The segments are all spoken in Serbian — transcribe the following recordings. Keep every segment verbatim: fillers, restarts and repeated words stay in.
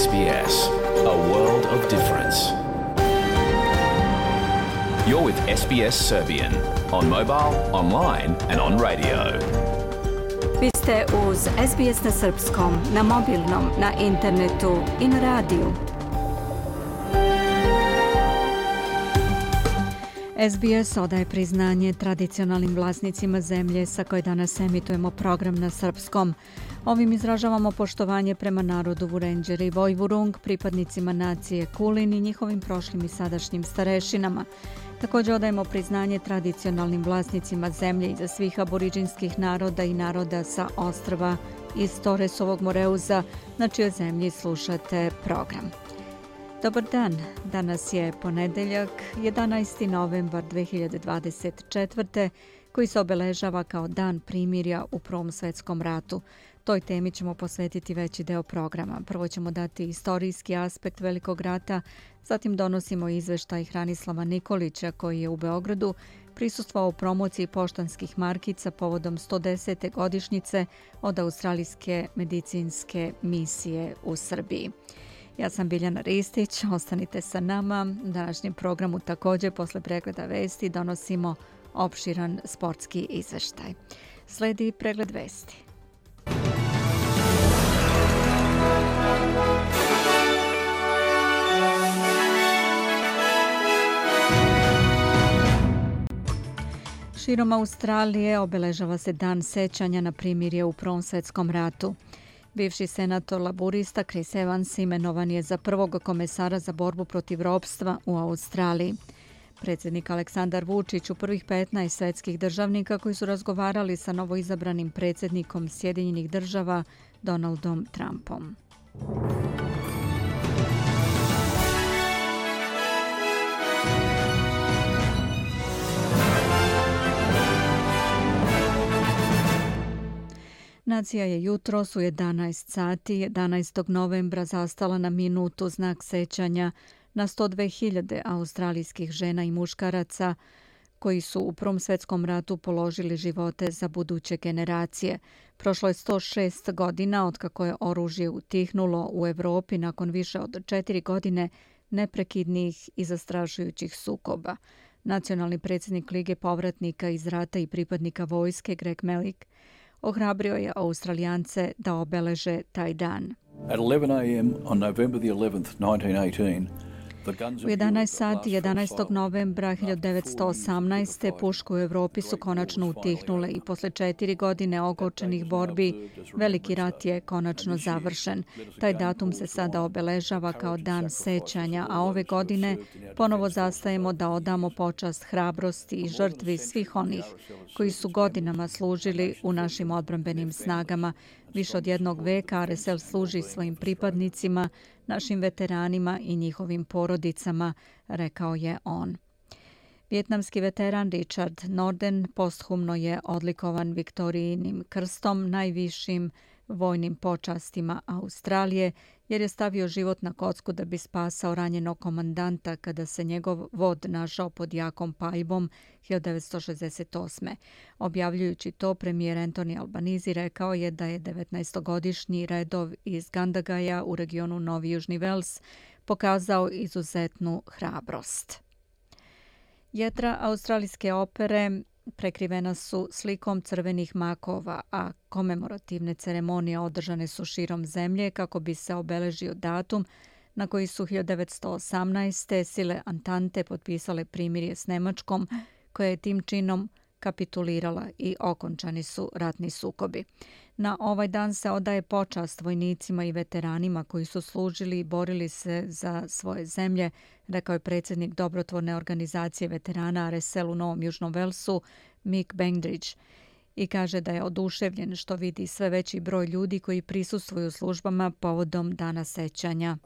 S B S, a world of difference. You're with S B S Serbian on mobile, online and on radio. Vi ste uz S B S na srpskom, na mobilnom, na internetu i na radiju. S B S odaje priznanje tradicionalnim vlasnicima zemlje sa koje danas emitujemo program na srpskom. Ovim izražavamo poštovanje prema narodu Vurenđer i Vojvurung, pripadnicima nacije Kulin i njihovim prošlim i sadašnjim starešinama. Također odajemo priznanje tradicionalnim vlasnicima zemlje iza svih aboriđinskih naroda i naroda sa ostrva iz Toresovog Moreuza, na čijoj zemlji slušate program. Dobar dan, danas je ponedeljak, jedanaesti novembar dve hiljade dvadeset četvrte. koji se obeležava kao dan primirja u Prvom svjetskom ratu. Toj temi ćemo posvetiti veći deo programa. Prvo ćemo dati istorijski aspekt Velikog rata, zatim donosimo izveštaj Hranislava Nikolića koji je u Beogradu prisustvovao u promociji poštanskih markica povodom sto desete godišnjice od australijske medicinske misije u Srbiji. Ja sam Biljana Ristić, ostanite sa nama. U današnjem programu također posle pregleda vesti donosimo opširan sportski izveštaj. Sledi pregled vesti. Širom Australije obeležava se dan sećanja na primirje u Prvom svjetskom ratu. Bivši senator laburista Chris Evans imenovan je za prvog komesara za borbu protiv ropstva u Australiji. Predsjednik Aleksandar Vučić u prvih petnaest svetskih državnika koji su razgovarali sa novoizabranim predsjednikom Sjedinjenih država Donaldom Trumpom. Nacija je jutros u jedanaest sati jedanaestog novembra zastala na minutu znak sećanja na sto dve hiljade australijskih žena i muškaraca koji su u Prvom svjetskom ratu položili živote za buduće generacije. Prošlo je sto šest godina otkako je oružje utihnulo u Evropi nakon više od četiri godine neprekidnih i zastrašujućih sukoba. Nacionalni predsjednik Lige povratnika iz rata i pripadnika vojske Greg Melik ohrabrio je Australijance da obeleže taj dan. At eleven a m on November the eleventh, nineteen eighteen, U jedanaest sati jedanaestog novembra hiljadu devetsto osamnaeste. puške u Evropi su konačno utihnule i posle četiri godine ogorčenih borbi Veliki rat je konačno završen. Taj datum se sada obeležava kao dan sećanja, a ove godine ponovo zastajemo da odamo počast hrabrosti i žrtvi svih onih koji su godinama služili u našim odbrambenim snagama. Više od jednog veka R S L služi svojim pripadnicima, našim veteranima i njihovim porodicama, rekao je on. Vijetnamski veteran Richard Norden posthumno je odlikovan Viktorijinim krstom, najvišim vojnim počastima Australije, jer je stavio život na kocku da bi spasao ranjenog komandanta kada se njegov vod našao pod jakom paljbom hiljadu devetsto šezdeset osme. Objavljujući to, premijer Anthony Albanese rekao je da je devetnaestogodišnji redov iz Gandagaja u regionu Novi Južni Vels pokazao izuzetnu hrabrost. Jedra australijske opere prekrivena su slikom crvenih makova, a komemorativne ceremonije održane su širom zemlje kako bi se obeležio datum na koji su hiljadu devetsto osamnaeste. sile Antante potpisale primirje s Nemačkom, koja je tim činom kapitulirala i okončani su ratni sukobi. Na ovaj dan se odaje počast vojnicima i veteranima koji su služili i borili se za svoje zemlje, rekao je predsjednik dobrotvorne organizacije veterana R S L u Novom Južnom Velsu Mick Bengdridge, i kaže da je oduševljen što vidi sve veći broj ljudi koji prisustvuju službama povodom dana sećanja.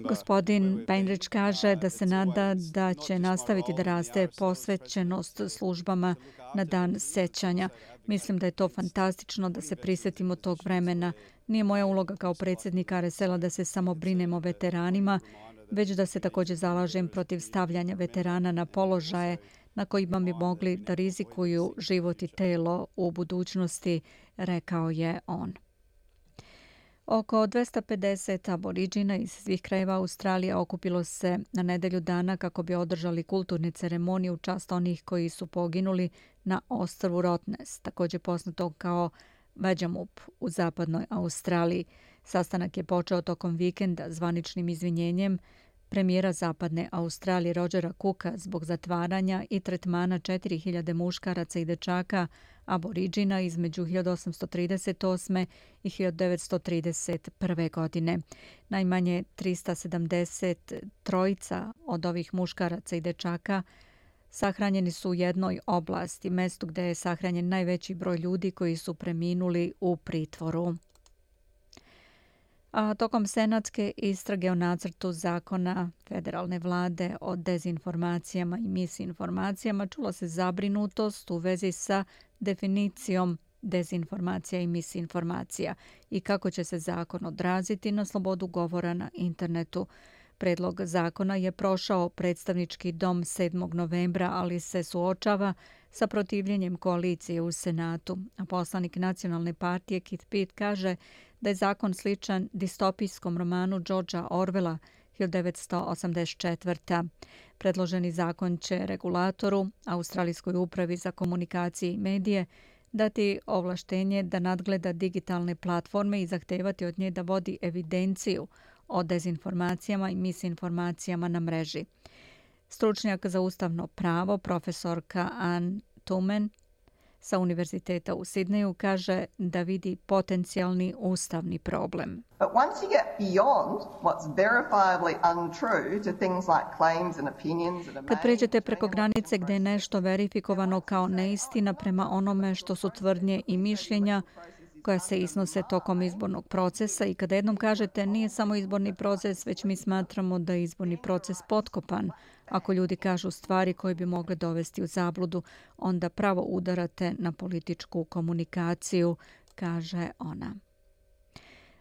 Gospodin Bengdridge kaže da se nada da će nastaviti da raste posvećenost službama na dan sećanja. Mislim da je to fantastično da se prisjetimo tog vremena. Nije moja uloga kao predsjednika R S L-a da se samo brinem o veteranima, već da se također zalažem protiv stavljanja veterana na položaje na kojima bi mogli da rizikuju život i telo u budućnosti, rekao je on. Oko dvesta pedeset aboriđina iz svih krajeva Australije okupilo se na nedelju dana kako bi održali kulturne ceremonije u čast onih koji su poginuli na ostrvu Rottnest, također poznato kao Vajamup u zapadnoj Australiji. Sastanak je počeo tokom vikenda zvaničnim izvinjenjem premijera zapadne Australije Rogera Cooka zbog zatvaranja i tretmana četiri hiljade muškaraca i dečaka aboriđina između hiljadu osamsto trideset osme i hiljadu devetsto trideset prve. godine. Najmanje trista sedamdeset trojica od ovih muškaraca i dečaka sahranjeni su u jednoj oblasti, mestu gdje je sahranjen najveći broj ljudi koji su preminuli u pritvoru. A tokom senatske istrage o nacrtu zakona federalne vlade o dezinformacijama i misinformacijama čula se zabrinutost u vezi sa definicijom dezinformacija i misinformacija i kako će se zakon odraziti na slobodu govora na internetu. Predlog zakona je prošao predstavnički dom sedmog novembra, ali se suočava sa protivljenjem koalicije u Senatu. A poslanik Nacionalne partije Keith Pitt kaže da je zakon sličan distopijskom romanu Georgea Orwella hiljadu devetsto osamdeset četvrte. Predloženi zakon će regulatoru, Australijskoj upravi za komunikacije i medije, dati ovlaštenje da nadgleda digitalne platforme i zahtevati od nje da vodi evidenciju o dezinformacijama i misinformacijama na mreži. Stručnjak za ustavno pravo, profesorka Ann Tumen sa Univerziteta u Sidneju kaže da vidi potencijalni ustavni problem. But once you get beyond what's verifiably untrue to things like claims and opinions and Kad pređete preko granice gdje je nešto verifikovano kao neistina prema onome što su tvrdnje i mišljenja koja se iznose tokom izbornog procesa i kada jednom kažete nije samo izborni proces, već mi smatramo da je izborni proces potkopan. Ako ljudi kažu stvari koje bi mogle dovesti u zabludu, onda pravo udarate na političku komunikaciju, kaže ona.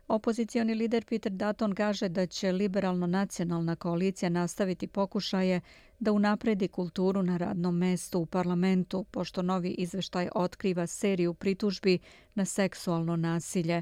Opozicioni lider Peter Dutton kaže da će liberalno-nacionalna koalicija nastaviti pokušaje da unapredi kulturu na radnom mestu u parlamentu, pošto novi izveštaj otkriva seriju pritužbi na seksualno nasilje.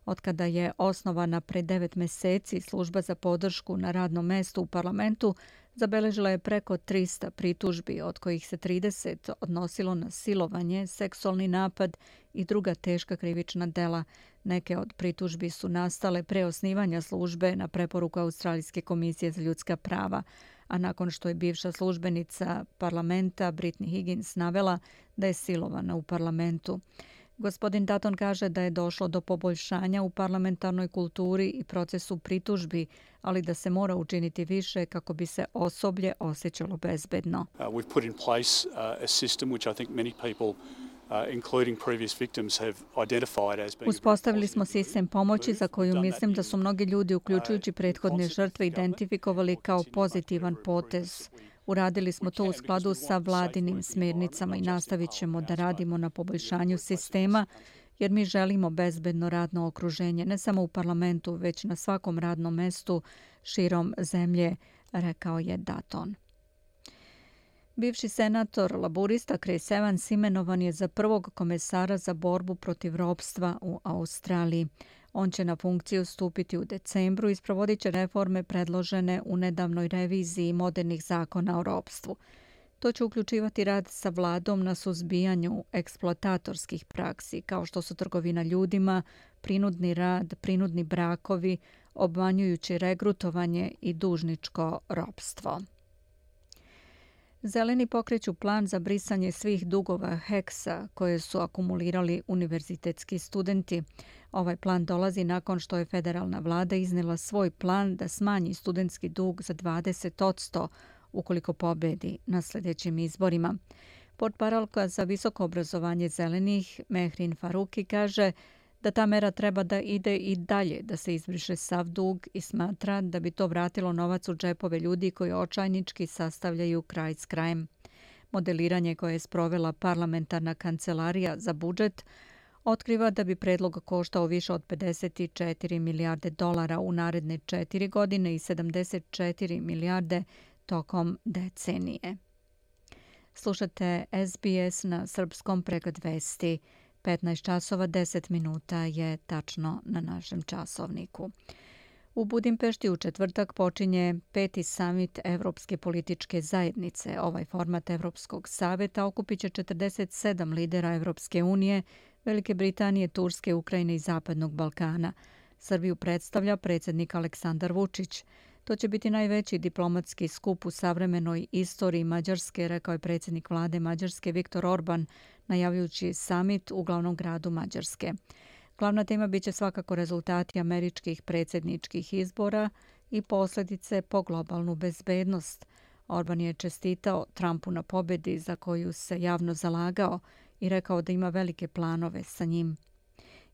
Otkada je osnovana pre devet meseci, služba za podršku na radnom mestu u parlamentu zabeležila je preko trista pritužbi, od kojih se trideset odnosilo na silovanje, seksualni napad i druga teška krivična dela. Neke od pritužbi su nastale pre osnivanja službe na preporuku Australijske komisije za ljudska prava, a nakon što je bivša službenica parlamenta Brittany Higgins navela da je silovana u parlamentu. Gospodin Dutton kaže da je došlo do poboljšanja u parlamentarnoj kulturi i procesu pritužbi, ali da se mora učiniti više kako bi se osoblje osjećalo bezbedno. Uh, we've put in place uh, a system which I think many people Uh, including previous victims have identified as being. Uspostavili smo sistem pomoći za koju mislim da su mnogi ljudi, uključujući prethodne žrtve, identifikovali kao pozitivan potez. Uradili smo to u skladu sa vladinim smjernicama i nastavit ćemo da radimo na poboljšanju sistema, jer mi želimo bezbedno radno okruženje ne samo u parlamentu, već na svakom radnom mestu širom zemlje, rekao je Dutton. Bivši senator laburista Chris Evans imenovan je za prvog komesara za borbu protiv ropstva u Australiji. On će na funkciju stupiti u decembru i sprovodit će reforme predložene u nedavnoj reviziji modernih zakona o ropstvu. To će uključivati rad sa vladom na suzbijanju eksploatatorskih praksi, kao što su trgovina ljudima, prinudni rad, prinudni brakovi, obmanjujući regrutovanje i dužničko ropstvo. Zeleni pokreću plan za brisanje svih dugova heksa koje su akumulirali univerzitetski studenti. Ovaj plan dolazi nakon što je federalna vlada iznela svoj plan da smanji studentski dug za dvadeset posto ukoliko pobedi na sljedećim izborima. Portparolka za visoko obrazovanje zelenih Mehrin Faruki kaže da ta mera treba da ide i dalje, da se izbriše sav dug i smatra da bi to vratilo novac u džepove ljudi koji očajnički sastavljaju kraj s krajem. Modeliranje koje je sprovela parlamentarna kancelarija za budžet otkriva da bi predlog koštao više od pedeset četiri milijarde dolara u naredne četiri godine i sedamdeset četiri milijarde tokom decenije. Slušate S B S na srpskom pregled vesti. petnaest časova deset minuta je tačno na našem časovniku. U Budimpešti u četvrtak počinje peti samit Evropske političke zajednice. Ovaj format Evropskog saveta okupit će četrdeset sedam lidera Evropske unije, Velike Britanije, Turske, Ukrajine i Zapadnog Balkana. Srbiju predstavlja predsjednik Aleksandar Vučić. To će biti najveći diplomatski skup u savremenoj istoriji Mađarske, rekao je predsjednik vlade Mađarske Viktor Orban, najavljujući samit u glavnom gradu Mađarske. Glavna tema biće svakako rezultati američkih predsjedničkih izbora i posljedice po globalnu bezbednost. Orban je čestitao Trumpu na pobjedi za koju se javno zalagao i rekao da ima velike planove sa njim.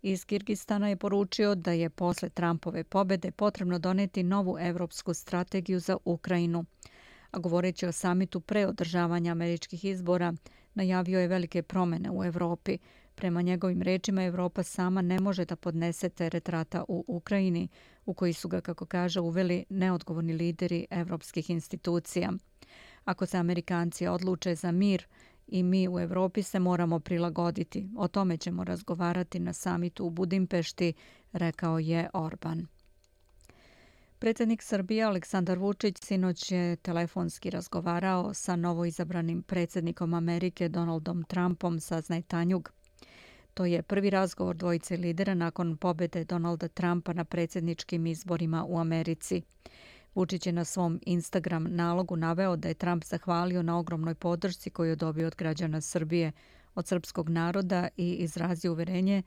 Iz Kirgistana je poručio da je posle Trumpove pobjede potrebno doneti novu evropsku strategiju za Ukrajinu. A govoreći o samitu pre održavanja američkih izbora, najavio je velike promjene u Evropi. Prema njegovim rečima, Evropa sama ne može da podnese teret rata u Ukrajini, u koji su ga, kako kaže, uveli neodgovorni lideri evropskih institucija. Ako se Amerikanci odluče za mir, i mi u Evropi se moramo prilagoditi. O tome ćemo razgovarati na samitu u Budimpešti, rekao je Orban. Predsjednik Srbije Aleksandar Vučić sinoć je telefonski razgovarao sa novoizabranim predsjednikom Amerike Donaldom Trumpom, saznaje Tanjug. To je prvi razgovor dvojice lidera nakon pobjede Donalda Trumpa na predsjedničkim izborima u Americi. Vučić je na svom Instagram nalogu naveo da je Trump zahvalio na ogromnoj podršci koju je dobio od građana Srbije, od srpskog naroda i izrazio uverenje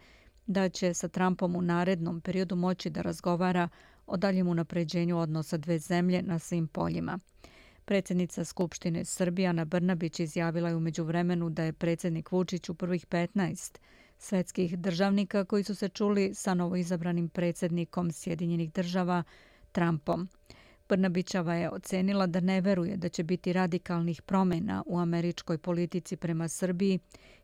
da će sa Trumpom u narednom periodu moći da razgovara o daljem unapređenju odnosa dve zemlje na svim poljima. Predsjednica Skupštine Srbije Ana Brnabić izjavila je u međuvremenu da je predsjednik Vučić u prvih petnaest svetskih državnika koji su se čuli sa novoizabranim predsjednikom Sjedinjenih država Trumpom. Brnabićeva je ocenila da ne veruje da će biti radikalnih promjena u američkoj politici prema Srbiji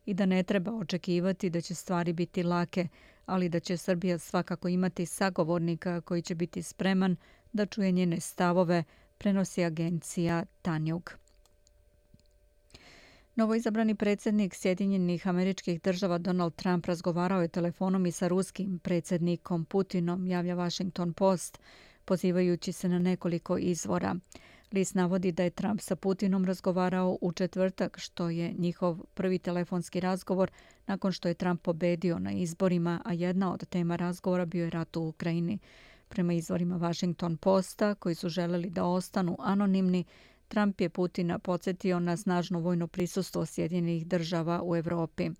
i da ne treba očekivati da će stvari biti lake, ali da će Srbija svakako imati sagovornika koji će biti spreman da čuje njene stavove, prenosi agencija Tanjug. Novoizabrani predsjednik Sjedinjenih Američkih Država Donald Trump razgovarao je telefonom i sa ruskim predsjednikom Putinom, javlja Washington Post, pozivajući se na nekoliko izvora. List navodi da je Trump sa Putinom razgovarao u četvrtak, što je njihov prvi telefonski razgovor nakon što je Trump pobedio na izborima, a jedna od tema razgovora bio je rat u Ukrajini. Prema izvorima Washington Posta, koji su želeli da ostanu anonimni, Trump je Putina podsjetio na snažno vojno prisustvo Sjedinjenih država u Evropi.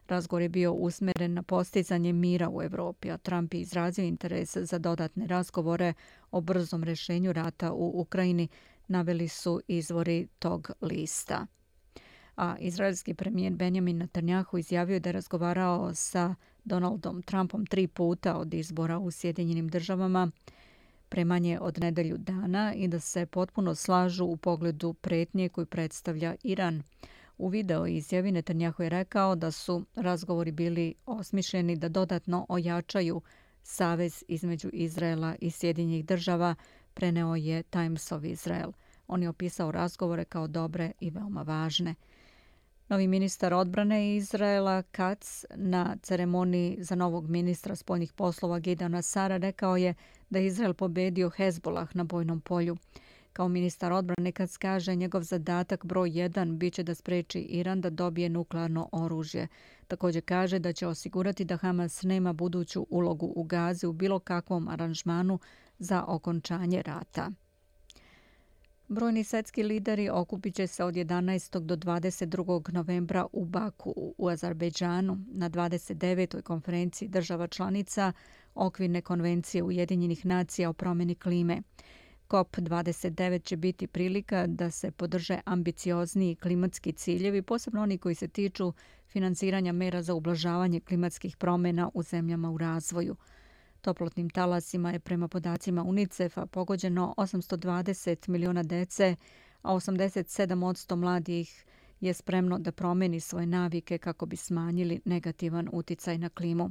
Razgovor je bio usmjeren na postizanje mira u Evropi, a Trump je izrazio interes za dodatne razgovore o brzom rješenju rata u Ukrajini, naveli su izvori tog lista. A izraelski premijer Benjamin Netanjahu izjavio je da je razgovarao sa Donaldom Trumpom tri puta od izbora u Sjedinjenim državama, premanje od nedelju dana, i da se potpuno slažu u pogledu pretnje koju predstavlja Iran. U video izjavi Netanjahu je rekao da su razgovori bili osmišljeni da dodatno ojačaju savez između Izraela i Sjedinjenih država, preneo je Times of Israel. On je opisao razgovore kao dobre i veoma važne. Novi ministar odbrane Izraela Katz na ceremoniji za novog ministra spoljnih poslova Gideona Sara rekao je da je Izrael pobedio Hezbolah na bojnom polju. Kao ministar odbrane Katz kaže, njegov zadatak broj jedan biće da spreči Iran da dobije nuklearno oružje. Također kaže da će osigurati da Hamas nema buduću ulogu u Gazi u bilo kakvom aranžmanu za okončanje rata. Brojni svjetski lideri okupit će se od jedanaestog do dvadeset drugog novembra u Baku u Azerbejdžanu na dvadeset devetoj konferenciji država članica Okvirne konvencije Ujedinjenih nacija o promjeni klime. C O P dvadeset devet će biti prilika da se podrže ambiciozniji klimatski ciljevi, posebno oni koji se tiču financiranja mera za ublažavanje klimatskih promjena u zemljama u razvoju. Toplotnim talasima je prema podacima UNICEF-a pogođeno osamsto dvadeset miliona dece, a osamdeset sedam posto mladih je spremno da promeni svoje navike kako bi smanjili negativan uticaj na klimu.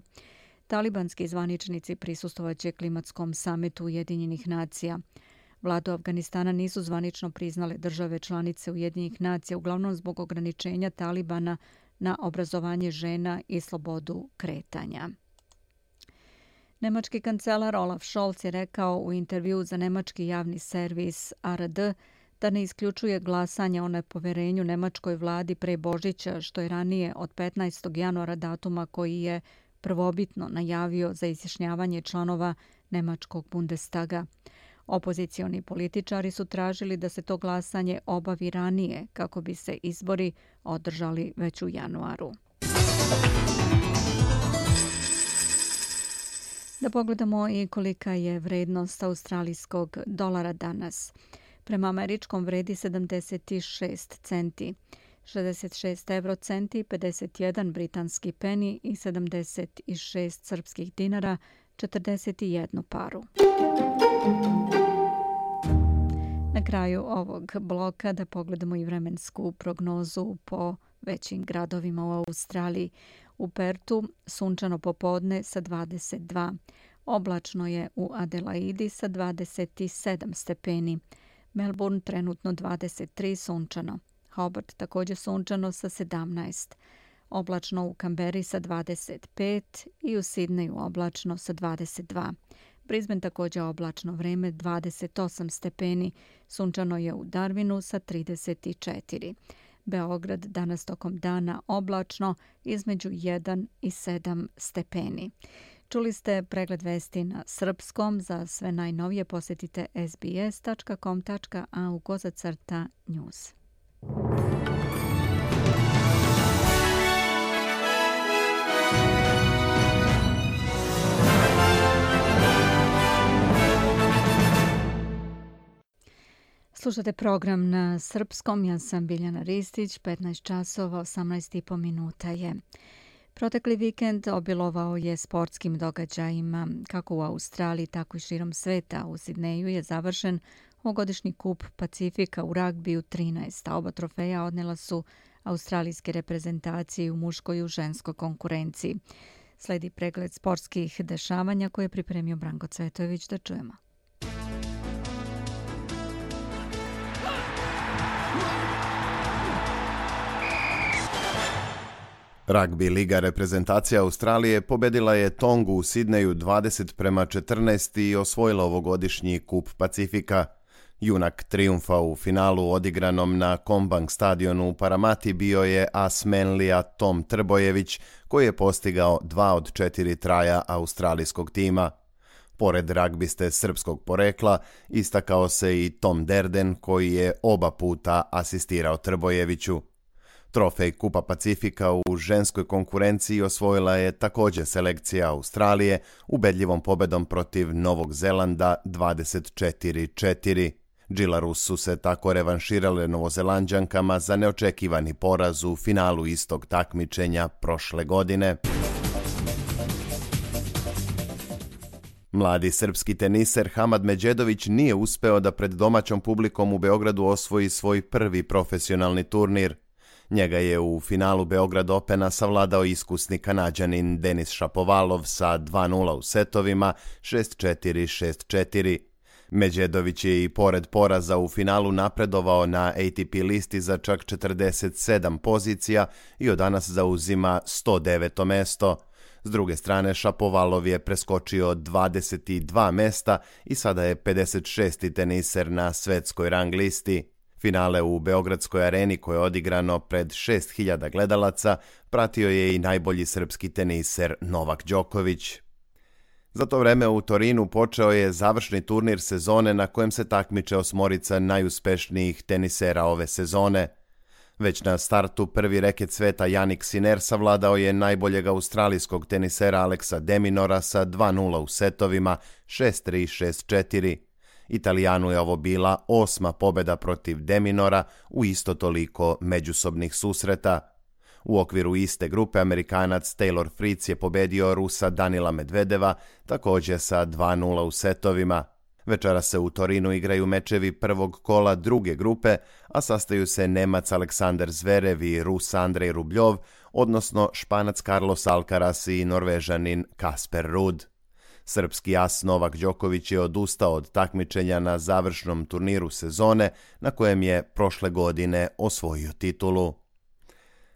Talibanski zvaničnici prisustvovaće klimatskom samitu Ujedinjenih nacija. Vladu Afganistana nisu zvanično priznale države članice Ujedinjenih nacija, uglavnom zbog ograničenja Talibana na obrazovanje žena i slobodu kretanja. Nemački kancelar Olaf Scholz je rekao u intervju za nemački javni servis A R D da ne isključuje glasanje o nepoverenju nemačkoj vladi pre Božića, što je ranije od petnaestog januara datuma koji je prvobitno najavio za izjašnjavanje članova nemačkog Bundestaga. Opozicioni političari su tražili da se to glasanje obavi ranije kako bi se izbori održali već u januaru. Da pogledamo i kolika je vrednost australijskog dolara danas. Prema američkom vredi sedamdeset šest centi, šezdeset šest evrocenti, pedeset jedan britanski peni i sedamdeset šest srpskih dinara, četrdeset jedan paru. Na kraju ovog bloka da pogledamo i vremensku prognozu po većim gradovima u Australiji. U Pertu sunčano popodne sa dvadeset dva. Oblačno je u Adelaidi sa dvadeset sedam stepeni. Melbourne trenutno dvadeset tri sunčano. Hobart također sunčano sa sedamnaest. Oblačno u Kamberi sa dvadeset pet i u Sidneju oblačno sa dvadeset dva. Brisbane također oblačno vreme dvadeset osam stepeni. Sunčano je u Darwinu sa trideset četiri. Beograd danas tokom dana oblačno između jedan i sedam stepeni. Čuli ste pregled vesti na srpskom. Za sve najnovije posjetite s b s dot com dot a u kozacrta news. Slušate program na srpskom, ja sam Biljana Ristić, petnaest časova, osamnaest i po minuta je. Protekli vikend obilovao je sportskim događajima, kako u Australiji, tako i širom sveta. U Sidneju je završen ovogodišnji kup Pacifika u ragbiju trinaest, a oba trofeja odnela su australijske reprezentacije u muškoj i u ženskoj konkurenciji. Sledi pregled sportskih dešavanja koje je pripremio Branko Cvetojević, da čujemo. Ragbi liga reprezentacija Australije pobedila je Tongu u Sidneju dvadeset prema četrnaest i osvojila ovogodišnji kup Pacifika. Junak trijumfa u finalu odigranom na Combank stadionu u Paramati bio je as Manlija Tom Trbojević, koji je postigao dva od četiri traja australijskog tima. Pored ragbiste srpskog porekla, istakao se i Tom Derden, koji je oba puta asistirao Trbojeviću. Trofej Kupa Pacifika u ženskoj konkurenciji osvojila je također selekcija Australije ubedljivom pobedom protiv Novog Zelanda dvadeset četiri četiri. Džilarus su se tako revanširale Novozelanđankama za neočekivani poraz u finalu istog takmičenja prošle godine. Mladi srpski teniser Hamad Međedović nije uspeo da pred domaćom publikom u Beogradu osvoji svoj prvi profesionalni turnir. Njega je u finalu Beograd Opena savladao iskusni Kanađanin Denis Šapovalov sa dva nula u setovima, šest četiri šest četiri. Međedović je i pored poraza u finalu napredovao na A T P listi za čak četrdeset sedam pozicija i od danas zauzima sto deveto mesto. S druge strane, Šapovalov je preskočio dvadeset dva mesta i sada je pedeset šesti teniser na svetskoj rang listi. Finale u Beogradskoj areni, koje je odigrano pred šest hiljada gledalaca, pratio je i najbolji srpski teniser Novak Đoković. Za to vreme u Torinu počeo je završni turnir sezone na kojem se takmiče osmorica najuspešnijih tenisera ove sezone. Već na startu prvi reket sveta Jannik Sinner savladao je najboljeg australijskog tenisera Alexa de Minaura sa dva nula u setovima, šest tri šest četiri. Italijanu je ovo bila osma pobjeda protiv de Minaura u isto toliko međusobnih susreta. U okviru iste grupe Amerikanac Taylor Fritz je pobedio Rusa Danila Medvedeva, također sa dva nula u setovima. Večera se u Torinu igraju mečevi prvog kola druge grupe, a sastaju se Nemac Aleksandar Zverev i Rus Andrej Rubljov, odnosno Španac Carlos Alcaraz i Norvežanin Kasper Ruud. Srpski as Novak Đoković je odustao od takmičenja na završnom turniru sezone, na kojem je prošle godine osvojio titulu.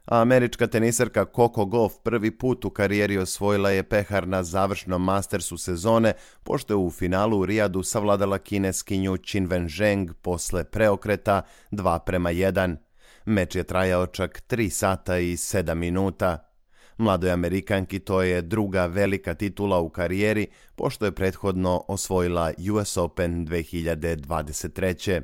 a američka teniserka Coco Gauff prvi put u karijeri osvojila je pehar na završnom Mastersu sezone, pošto je u finalu u Rijadu savladala kineskinju Qinwen Zheng posle preokreta dva prema jedan. Meč je trajao čak tri sata i sedam minuta. Mladoj Amerikanki to je druga velika titula u karijeri, pošto je prethodno osvojila U S Open dve hiljade dvadeset treće.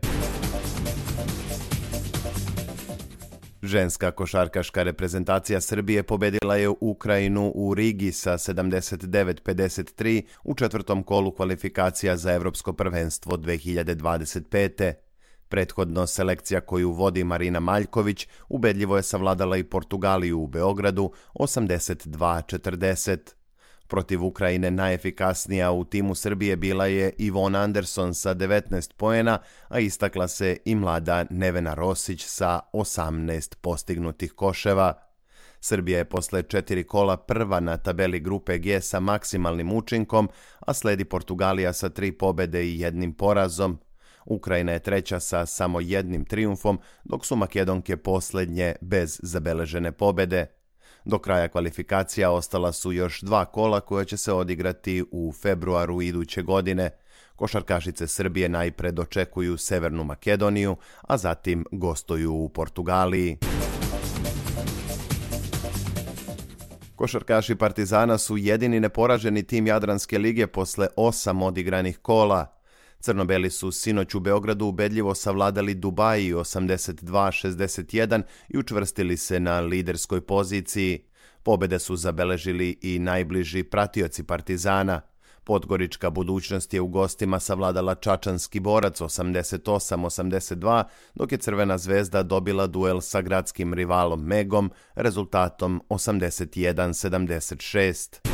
Ženska košarkaška reprezentacija Srbije pobedila je Ukrajinu u Rigi sa sedamdeset devet pedeset tri u četvrtom kolu kvalifikacija za Evropsko prvenstvo dve hiljade dvadeset pete. Prethodno selekcija koju vodi Marina Maljković ubedljivo je savladala i Portugaliju u Beogradu osamdeset dva četrdeset. Protiv Ukrajine najefikasnija u timu Srbije bila je Ivona Anderson sa devetnaest poena, a istakla se i mlada Nevena Rosić sa osamnaest postignutih koševa. Srbija je posle četiri kola prva na tabeli grupe G sa maksimalnim učinkom, a sledi Portugalija sa tri pobede i jednim porazom. Ukrajina je treća sa samo jednim trijumfom, dok su Makedonke poslednje bez zabeležene pobede. Do kraja kvalifikacija ostala su još dva kola koja će se odigrati u februaru iduće godine. Košarkašice Srbije najpre dočekuju Severnu Makedoniju, a zatim gostuju u Portugaliji. Košarkaši Partizana su jedini neporaženi tim Jadranske lige posle osam odigranih kola. Crnobeli su sinoć u Beogradu ubedljivo savladali Dubaji osamdeset dva šezdeset jedan i učvrstili se na liderskoj poziciji. Pobede su zabeležili i najbliži pratioci Partizana. Podgorička Budućnost je u gostima savladala Čačanski Borac osamdeset osam osamdeset dva, dok je Crvena Zvezda dobila duel sa gradskim rivalom Megom rezultatom osamdeset jedan sedamdeset šest.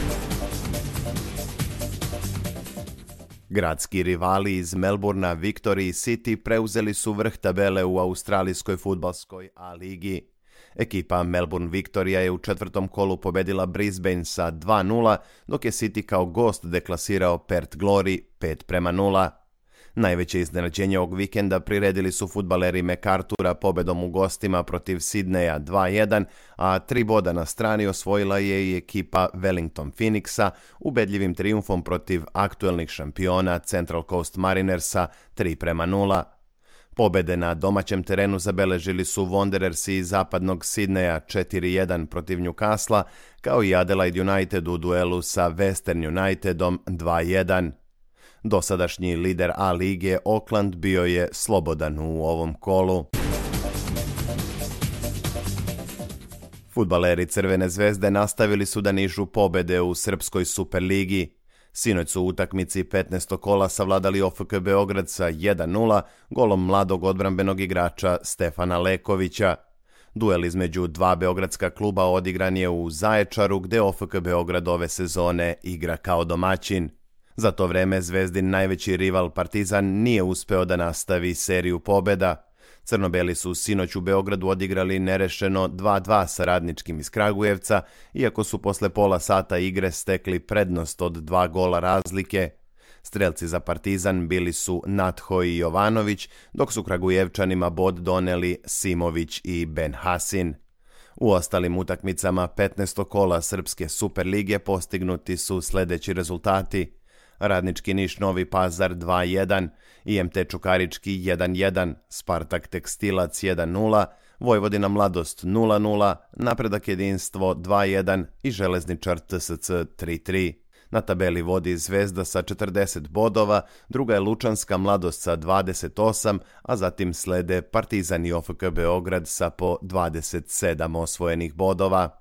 Gradski rivali iz Melbourna, Victory i City preuzeli su vrh tabele u australijskoj fudbalskoj A ligi. Ekipa Melbourne Victoria je u četvrtom kolu pobedila Brisbane sa dva nula, dok je City kao gost deklasirao Perth Glory pet prema nula. Najveće iznenađenje ovog vikenda priredili su fudbaleri MacArthura pobedom u gostima protiv Sidneja dva jedan, a tri boda na strani osvojila je i ekipa Wellington Phoenixa ubedljivim trijumfom protiv aktuelnih šampiona Central Coast Marinersa tri prema nula. Pobede na domaćem terenu zabeležili su Wanderersi iz zapadnog Sidneja četiri jedan protiv Newcastle, kao i Adelaide United u duelu sa Western Unitedom dva jedan. Dosadašnji lider A lige Auckland bio je slobodan u ovom kolu. Fudbaleri Crvene Zvezde nastavili su da nižu pobede u Srpskoj Superligi. Sinoć su u utakmici petnaestog kola savladali O F K Beograd sa jedan nula golom mladog odbrambenog igrača Stefana Lekovića. Duel između dva beogradska kluba odigran je u Zaječaru, gde O F K Beograd ove sezone igra kao domaćin. Za to vreme Zvezdin najveći rival Partizan nije uspeo da nastavi seriju pobeda. Crnobeli su sinoć u Beogradu odigrali nerešeno dva dva sa Radničkim iz Kragujevca, iako su posle pola sata igre stekli prednost od dva gola razlike. Strelci za Partizan bili su Natho i Jovanović, dok su Kragujevčanima bod doneli Simović i Ben Hasin. U ostalim utakmicama petnaestog kola Srpske Superlige postignuti su sledeći rezultati: Radnički Niš Novi Pazar dva jedan, I M T Čukarički jedan jedan, Spartak Tekstilac jedan nula, Vojvodina Mladost nula nula, Napredak Jedinstvo dva jedan i Železničar T S C tri tri. Na tabeli vodi Zvezda sa četrdeset bodova, druga je Lučanska Mladost sa dvadeset osam, a zatim slede Partizan i O F K Beograd sa po dvadeset sedam osvojenih bodova.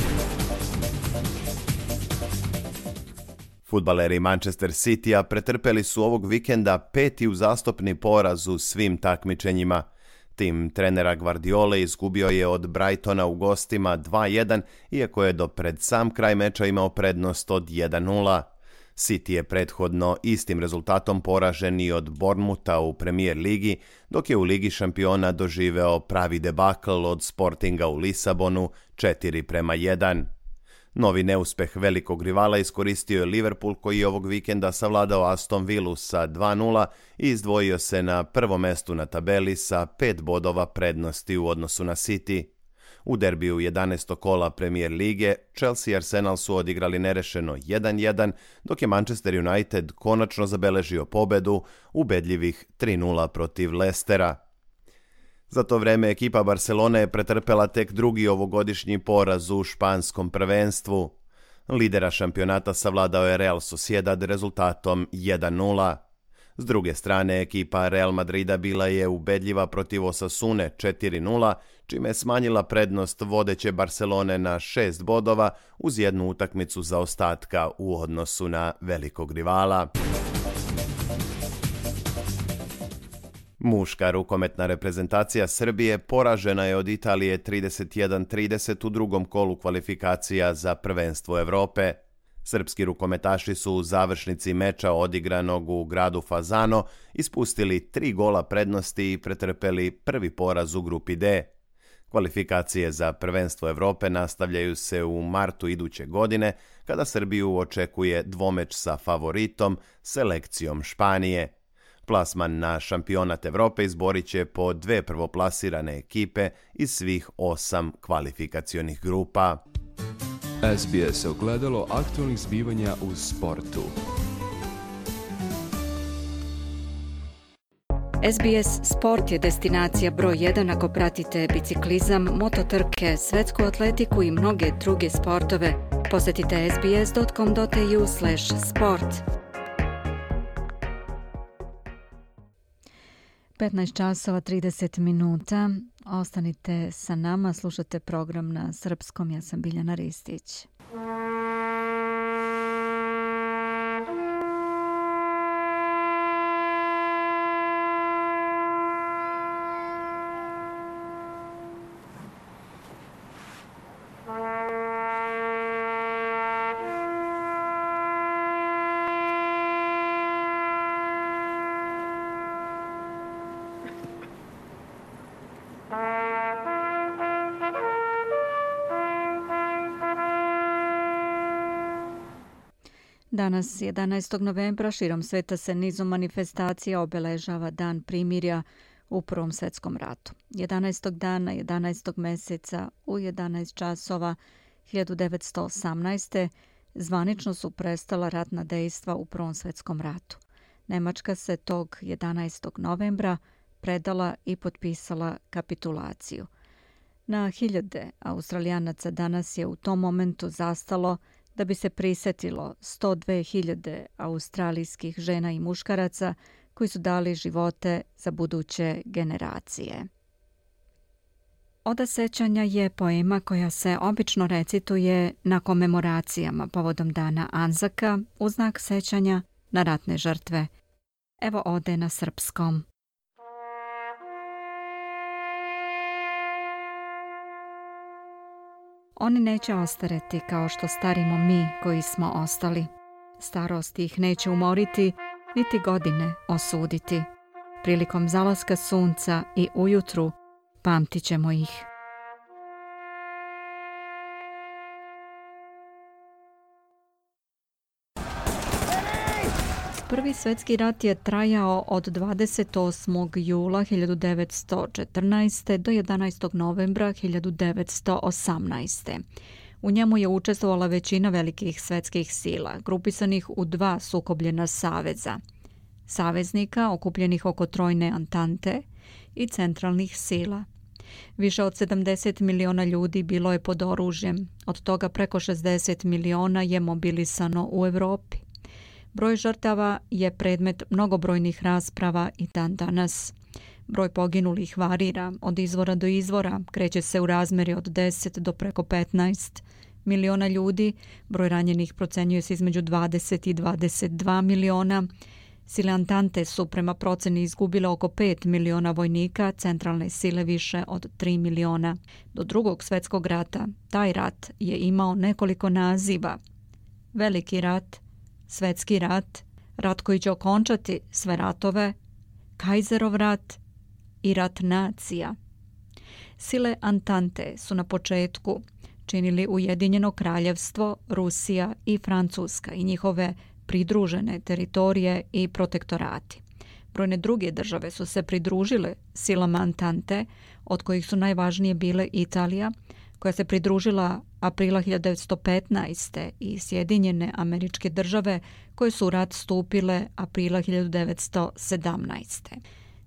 Fudbaleri Manchester City-a pretrpeli su ovog vikenda peti uzastopni poraz u svim takmičenjima. Tim trenera Guardiole izgubio je od Brightona u gostima dva jedan, iako je do pred sam kraj meča imao prednost od jedan nula. City je prethodno istim rezultatom poražen i od Bournemoutha u Premier ligi, dok je u Ligi šampiona doživeo pravi debakl od Sportinga u Lisabonu četiri prema jedan. Novi neuspeh velikog rivala iskoristio je Liverpool, koji je ovog vikenda savladao Aston Villu sa dva nula i izdvojio se na prvo mestu na tabeli sa pet bodova prednosti u odnosu na City. U derbiju jedanaestog kola Premier lige Chelsea i Arsenal su odigrali nerešeno jedan jedan, dok je Manchester United konačno zabeležio pobedu ubedljivih tri nula protiv Leicestera. Za to vreme ekipa Barcelone je pretrpela tek drugi ovogodišnji poraz u španskom prvenstvu. Lidera šampionata savladao je Real Sociedad rezultatom jedan nula. S druge strane, ekipa Real Madrida bila je ubedljiva protiv Osasune četiri nula, čime je smanjila prednost vodeće Barcelone na šest bodova uz jednu utakmicu zaostatka u odnosu na velikog rivala. Muška rukometna reprezentacija Srbije poražena je od Italije trideset jedan trideset u drugom kolu kvalifikacija za prvenstvo Evrope. Srpski rukometaši su u završnici meča odigranog u gradu Fazano ispustili tri gola prednosti i pretrpeli prvi poraz u grupi D. Kvalifikacije za prvenstvo Evrope nastavljaju se u martu iduće godine, kada Srbiju očekuje dvomeč sa favoritom, selekcijom Španije. Plasman na šampionat Evrope izborit će po dve prvoplasirane ekipe iz svih osam kvalifikacionih grupa. S B S ogledalo aktualnih zbivanja u sportu. S B S Sport je destinacija broj jedan ako pratite biciklizam, mototrke, svetsku atletiku i mnoge druge sportove. Posjetite s b s dot com dot a u slash sport. petnaest časova trideset minuta. Ostanite sa nama, slušate program na srpskom. Ja sam Biljana Ristić. Danas, jedanaestog novembra, širom sveta se nizom manifestacija obeležava Dan primirja u Prvom svetskom ratu. jedanaestog dana, jedanaestog meseca u jedanaest časova hiljadu devetsto osamnaeste. zvanično su prestala ratna dejstva u Prvom svetskom ratu. Nemačka se tog jedanaestog novembra predala i potpisala kapitulaciju. Na hiljade Australijanaca danas je u tom momentu zastalo da bi se prisetilo sto dve hiljade australijskih žena i muškaraca koji su dali živote za buduće generacije. Oda sećanja je poema koja se obično recituje na komemoracijama povodom dana Anzaka u znak sećanja na ratne žrtve. Evo ode na srpskom. Oni neće ostareti kao što starimo mi koji smo ostali. Starost ih neće umoriti, niti godine osuditi. Prilikom zalaska sunca i ujutru pamtit ćemo ih. Prvi svjetski rat je trajao od dvadeset osmog jula hiljadu devetsto četrnaeste. do jedanaestog novembra hiljadu devetsto osamnaeste. U njemu je učestvovala većina velikih svjetskih sila, grupisanih u dva sukobljena saveza. Saveznika okupljenih oko trojne Antante i centralnih sila. Više od sedamdeset miliona ljudi bilo je pod oružjem, od toga preko šezdeset miliona je mobilisano u Evropi. Broj žrtava je predmet mnogobrojnih rasprava i dan danas. Broj poginulih varira od izvora do izvora, kreće se u razmeri od deset do preko petnaest miliona ljudi, broj ranjenih procenjuje se između dvadeset i dvadeset dva miliona. Sile Antante su prema proceni izgubile oko pet miliona vojnika, centralne sile više od tri miliona. Do drugog svjetskog rata taj rat je imao nekoliko naziva. Veliki rat, Svetski rat, rat koji će okončati sve ratove, Kajzerov rat i rat nacija. Sile Antante su na početku činili Ujedinjeno kraljevstvo, Rusija i Francuska i njihove pridružene teritorije i protektorati. Brojne druge države su se pridružile silama Antante, od kojih su najvažnije bile Italija, koja se pridružila aprila hiljadu devetsto petnaeste. i Sjedinjene Američke Države, koje su u rat stupile aprila hiljadu devetsto sedamnaeste.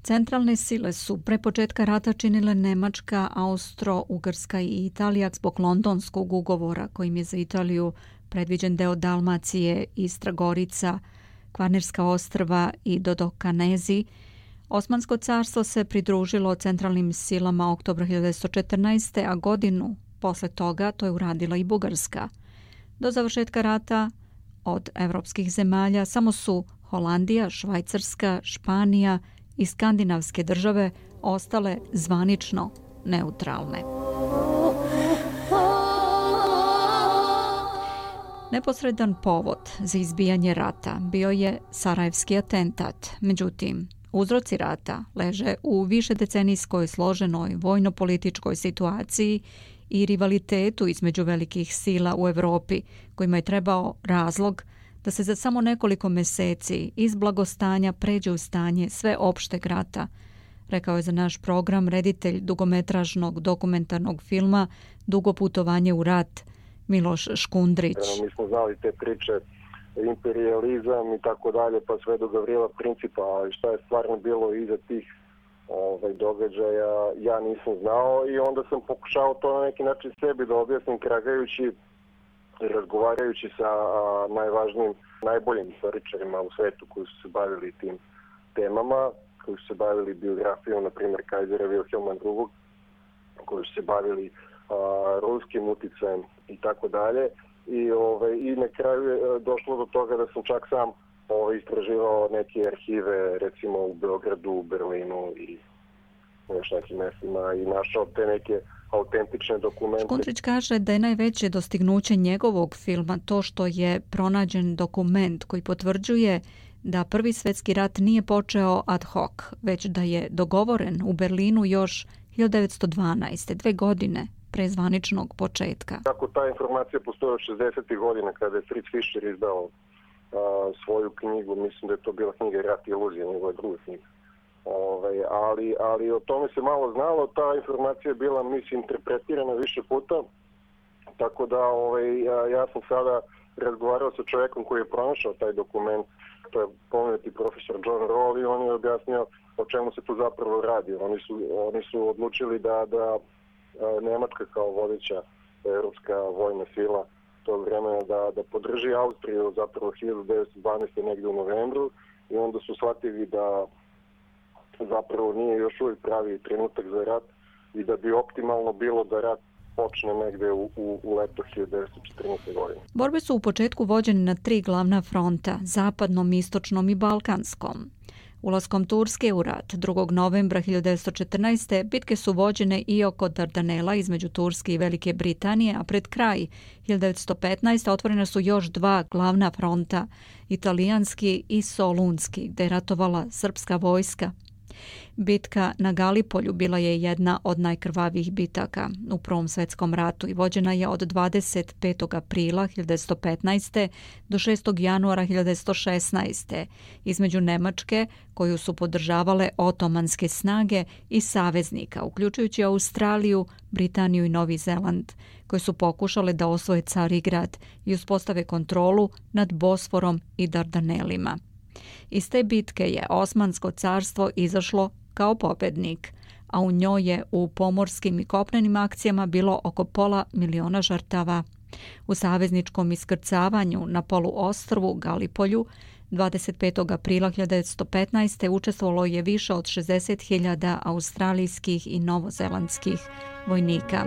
Centralne sile su pre početka rata činile Nemačka, Austro-Ugarska i Italija zbog Londonskog ugovora kojim je za Italiju predviđen deo Dalmacije, Istra, Gorica, Kvarnerska ostrva i Dodokanezi. Osmansko carstvo se pridružilo centralnim silama oktobra hiljadu devetsto četrnaeste. a godinu posle toga to je uradila i Bugarska. Do završetka rata od evropskih zemalja samo su Holandija, Švajcarska, Španija i skandinavske države ostale zvanično neutralne. Neposredan povod za izbijanje rata bio je Sarajevski atentat. Međutim, uzroci rata leže u višedecenijskoj složenoj vojno-političkoj situaciji i rivalitetu između velikih sila u Evropi, kojima je trebao razlog da se za samo nekoliko meseci iz blagostanja pređe u stanje sveopšteg rata, rekao je za naš program reditelj dugometražnog dokumentarnog filma Dugo putovanje u rat, Miloš Škundrić. Mi smo znali te priče, imperijalizam i tako dalje, pa sve do Gavrila Principa, ali šta je stvarno bilo iza tih ovaj, događaja, ja nisam znao i onda sam pokušao to na neki način sebi da objasnim, kragajući, razgovarajući sa a, najvažnijim, najboljim istoričarima u svetu koji su se bavili tim temama, koji su se bavili biografijom, na primjer Kajzera Wilhelma drugog, koji su se bavili a, ruskim uticajem i tako dalje. I, ovaj, I na kraju je došlo do toga da sam čak sam ovaj, istraživao neke arhive, recimo u Beogradu, u Berlinu i još nekim mestima i našao te neke autentične dokumente. Škundrić kaže da je najveće dostignuće njegovog filma to što je pronađen dokument koji potvrđuje da Prvi svjetski rat nije počeo ad hoc, već da je dogovoren u Berlinu još hiljadu devetsto dvanaeste. dve godine pre zvaničnog početka. Tako ta informacija postoji od šezdesetih godina kada je Fritz Fischer izdao a, svoju knjigu, mislim da je to bila knjiga Rat i iluzija, njegova druga knjiga. Ove, ali, ali o tome se malo znalo, ta informacija je bila, mislim, interpretirana više puta, tako da ove, ja, ja sam sada razgovarao sa čovjekom koji je pronašao taj dokument, to je pomenuti profesor John Roll, i on je objasnio o čemu se tu zapravo radi. Oni su, oni su odlučili da, da Nemačka kao vodeća europska vojna sila tog vremena da, da podrži Austriju zapravo hiljadu devetsto dvanaeste. negdje u novembru, i onda su shvatili da zapravo nije još uvijek pravi trenutak za rat i da bi optimalno bilo da rat počne negde u, u, u leto hiljadu devetsto četrnaeste. godine. Borbe su u početku vođene na tri glavna fronta, zapadnom, istočnom i balkanskom. Ulaskom Turske u rat drugog novembra hiljadu devetsto četrnaeste. bitke su vođene i oko Dardanela između Turske i Velike Britanije, a pred kraj hiljadu devetsto petnaeste. otvorena su još dva glavna fronta, italijanski i solunski, gde je ratovala srpska vojska. Bitka na Galipolju bila je jedna od najkrvavijih bitaka u Prvom svjetskom ratu i vođena je od dvadeset petog aprila hiljadu devetsto petnaeste. do šestog januara hiljadu devetsto šesnaeste. između Nemačke, koju su podržavale otomanske snage, i saveznika, uključujući Australiju, Britaniju i Novi Zeland, koje su pokušale da osvoje Carigrad i uspostave kontrolu nad Bosforom i Dardanelima. Iz te bitke je Osmansko carstvo izašlo kao pobednik, a u njoj je u pomorskim i kopnenim akcijama bilo oko pola miliona žrtava. U savezničkom iskrcavanju na poluostrvu Galipolju dvadeset petog aprila hiljadu devetsto petnaeste. učestvovalo je više od šezdeset hiljada australijskih i novozelandskih vojnika.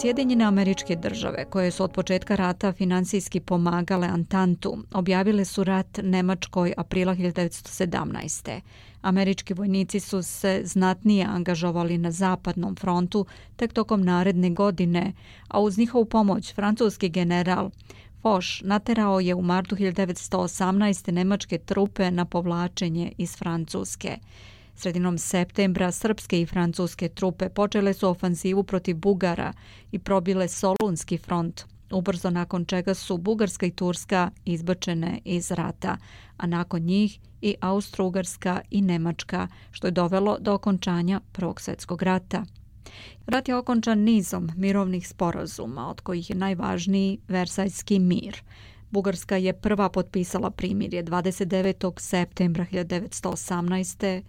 Sjedinjene Američke Države, koje su od početka rata finansijski pomagale Antantu, objavile su rat Nemačkoj aprila hiljadu devetsto sedamnaeste. Američki vojnici su se znatnije angažovali na zapadnom frontu tek tokom naredne godine, a uz njihovu pomoć francuski general Foch naterao je u martu hiljadu devetsto osamnaeste. nemačke trupe na povlačenje iz Francuske. Sredinom septembra srpske i francuske trupe počele su ofanzivu protiv Bugara i probile Solunski front, ubrzo nakon čega su Bugarska i Turska izbačene iz rata, a nakon njih i Austro-Ugarska i Nemačka, što je dovelo do okončanja Prvog svjetskog rata. Rat je okončan nizom mirovnih sporazuma, od kojih je najvažniji Versajski mir. Bugarska je prva potpisala primirje dvadeset devetog septembra hiljadu devetsto osamnaeste.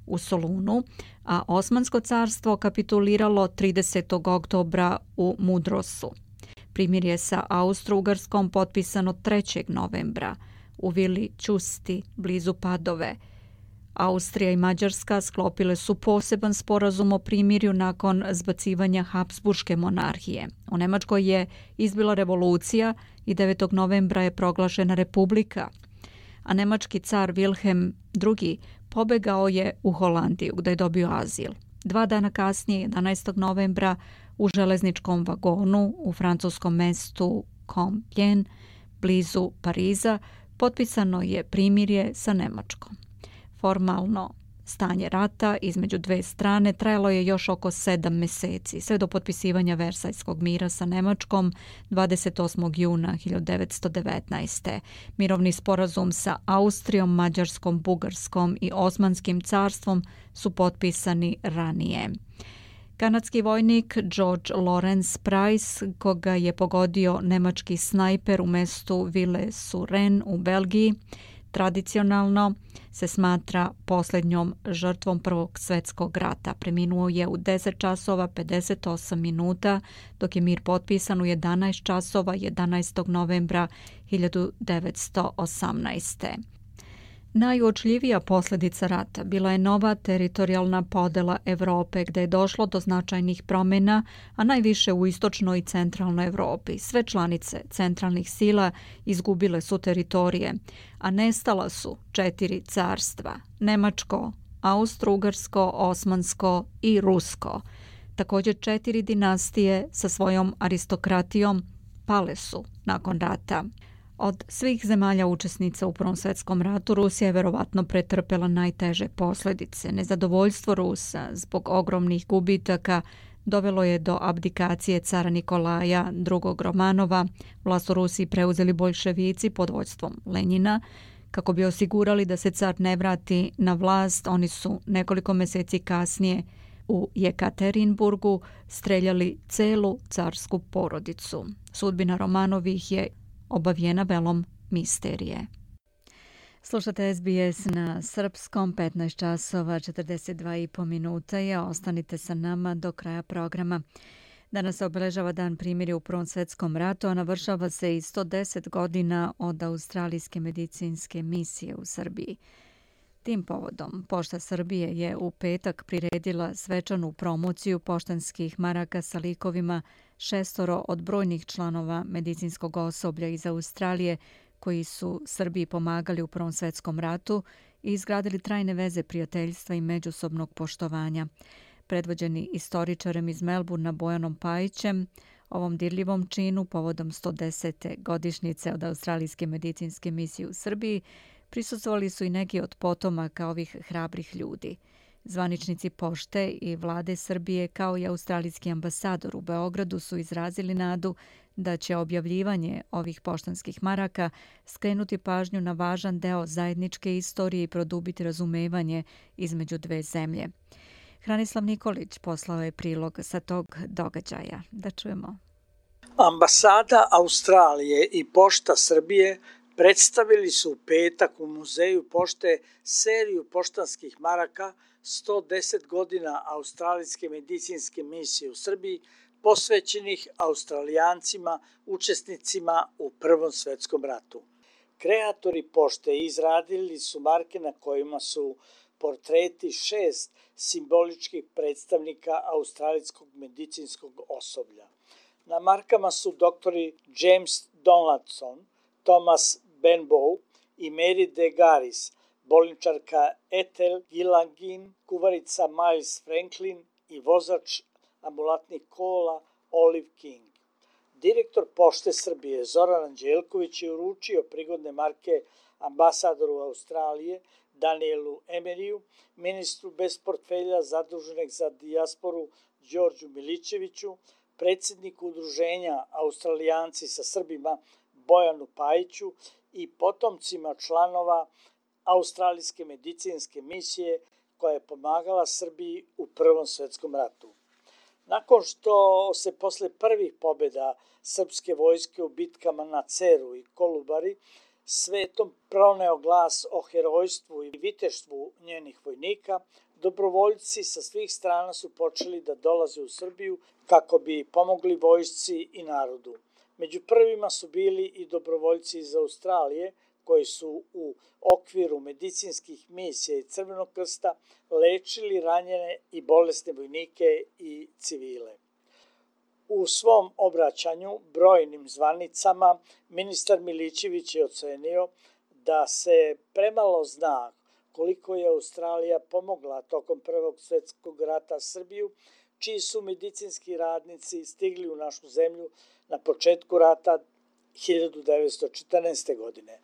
u Solunu, a Osmansko carstvo kapituliralo tridesetog oktobra u Mudrosu. Primirje sa Austro-Ugarskom potpisano trećeg novembra u vili Ćusti, blizu Padove. Austrija i Mađarska sklopile su poseban sporazum o primirju nakon zbacivanja Habsburške monarhije. U Nemačkoj je izbila revolucija i devetog novembra je proglašena republika, a nemački car Wilhelm drugi. pobegao je u Holandiju gdje je dobio azil. Dva dana kasnije, jedanaestog novembra, u železničkom vagonu u francuskom mestu Compiègne, blizu Pariza, potpisano je primirje sa Nemačkom. Formalno stanje rata između dve strane trajalo je još oko sedam mjeseci, sve do potpisivanja Versajskog mira sa Nemačkom dvadeset osmog juna hiljadu devetsto devetnaeste. Mirovni sporazum sa Austrijom, Mađarskom, Bugarskom i Osmanskim carstvom su potpisani ranije. Kanadski vojnik George Lawrence Price, koga je pogodio nemački snajper u mestu Ville-sur-Renne u Belgiji, tradicionalno se smatra posljednjom žrtvom Prvog svjetskog rata. Preminuo je u deset časova pedeset osam minuta, dok je mir potpisan u jedanaest časova jedanaestog novembra hiljadu devetsto osamnaeste. Najuočljivija posljedica rata bila je nova teritorijalna podela Europe, gdje je došlo do značajnih promjena, a najviše u istočnoj i centralnoj Europi. Sve članice centralnih sila izgubile su teritorije, a nestala su četiri carstva: Nemačko, Austro-Ugarsko, Osmansko i Rusko. Također četiri dinastije sa svojom aristokratijom pale su nakon rata. Od svih zemalja učesnica u Prvom svjetskom ratu Rusija je verovatno pretrpela najteže posljedice. Nezadovoljstvo Rusa zbog ogromnih gubitaka dovelo je do abdikacije cara Nikolaja drugog. Romanova. Vlast u Rusiji preuzeli boljševici pod vođstvom Lenjina. Kako bi osigurali da se car ne vrati na vlast, oni su nekoliko mjeseci kasnije u Jekaterinburgu streljali celu carsku porodicu. Sudbina Romanovih je obavijena velom misterije. Slušate S B S na srpskom, petnaest časova četrdeset dva i po minuta je. Ostanite sa nama do kraja programa. Danas se obeležava dan primirja u Prvom svjetskom ratu, a navršava se i sto deset godina od australijske medicinske misije u Srbiji. Tim povodom Pošta Srbije je u petak priredila svečanu promociju poštanskih maraka sa likovima šestoro od brojnih članova medicinskog osoblja iz Australije koji su Srbiji pomagali u Prvom svjetskom ratu i izgradili trajne veze prijateljstva i međusobnog poštovanja. Predvođeni istoričarem iz Melburna Bojanom Pajićem, ovom dirljivom činu povodom sto desete godišnjice od australijske medicinske misije u Srbiji prisustvovali su i neki od potomaka ovih hrabrih ljudi. Zvaničnici pošte i vlade Srbije kao i australijski ambasador u Beogradu su izrazili nadu da će objavljivanje ovih poštanskih maraka skrenuti pažnju na važan deo zajedničke istorije i produbiti razumevanje između dve zemlje. Hranislav Nikolić poslao je prilog sa tog događaja. Da čujemo. Ambasada Australije i Pošta Srbije predstavili su u petak u Muzeju pošte seriju poštanskih maraka sto deset godina australijske medicinske misije u Srbiji posvećenih Australijancima, učesnicima u Prvom svjetskom ratu. Kreatori pošte izradili su marke na kojima su portreti šest simboličkih predstavnika australijskog medicinskog osoblja. Na markama su doktori James Donaldson, Thomas Benbow i Mary de Garis, bolničarka Ethel Gillangin, kuvarica Miles Franklin i vozač ambulatnih kola Olive King. Direktor Pošte Srbije Zoran Anđelković je uručio prigodne marke ambasadoru Australije Danielu Emeriju, ministru bez portfelja zaduženog za dijasporu Đorđu Milićeviću, predsjedniku udruženja Australijanci sa Srbima Bojanu Pajiću i potomcima članova Australijske medicinske misije koja je pomagala Srbiji u Prvom svetskom ratu. Nakon što se posle prvih pobjeda srpske vojske u bitkama na Ceru i Kolubari svetom proneo glas o herojstvu i viteštvu njenih vojnika, dobrovoljci sa svih strana su počeli da dolaze u Srbiju kako bi pomogli vojsci i narodu. Među prvima su bili i dobrovoljci iz Australije koji su u okviru medicinskih misija i Crvenog krsta lečili ranjene i bolesne vojnike i civile. U svom obraćanju brojnim zvanicama ministar Milićević je ocenio da se premalo zna koliko je Australija pomogla tokom Prvog svjetskog rata Srbiju, čiji su medicinski radnici stigli u našu zemlju na početku rata hiljadu devetsto četrnaeste. godine.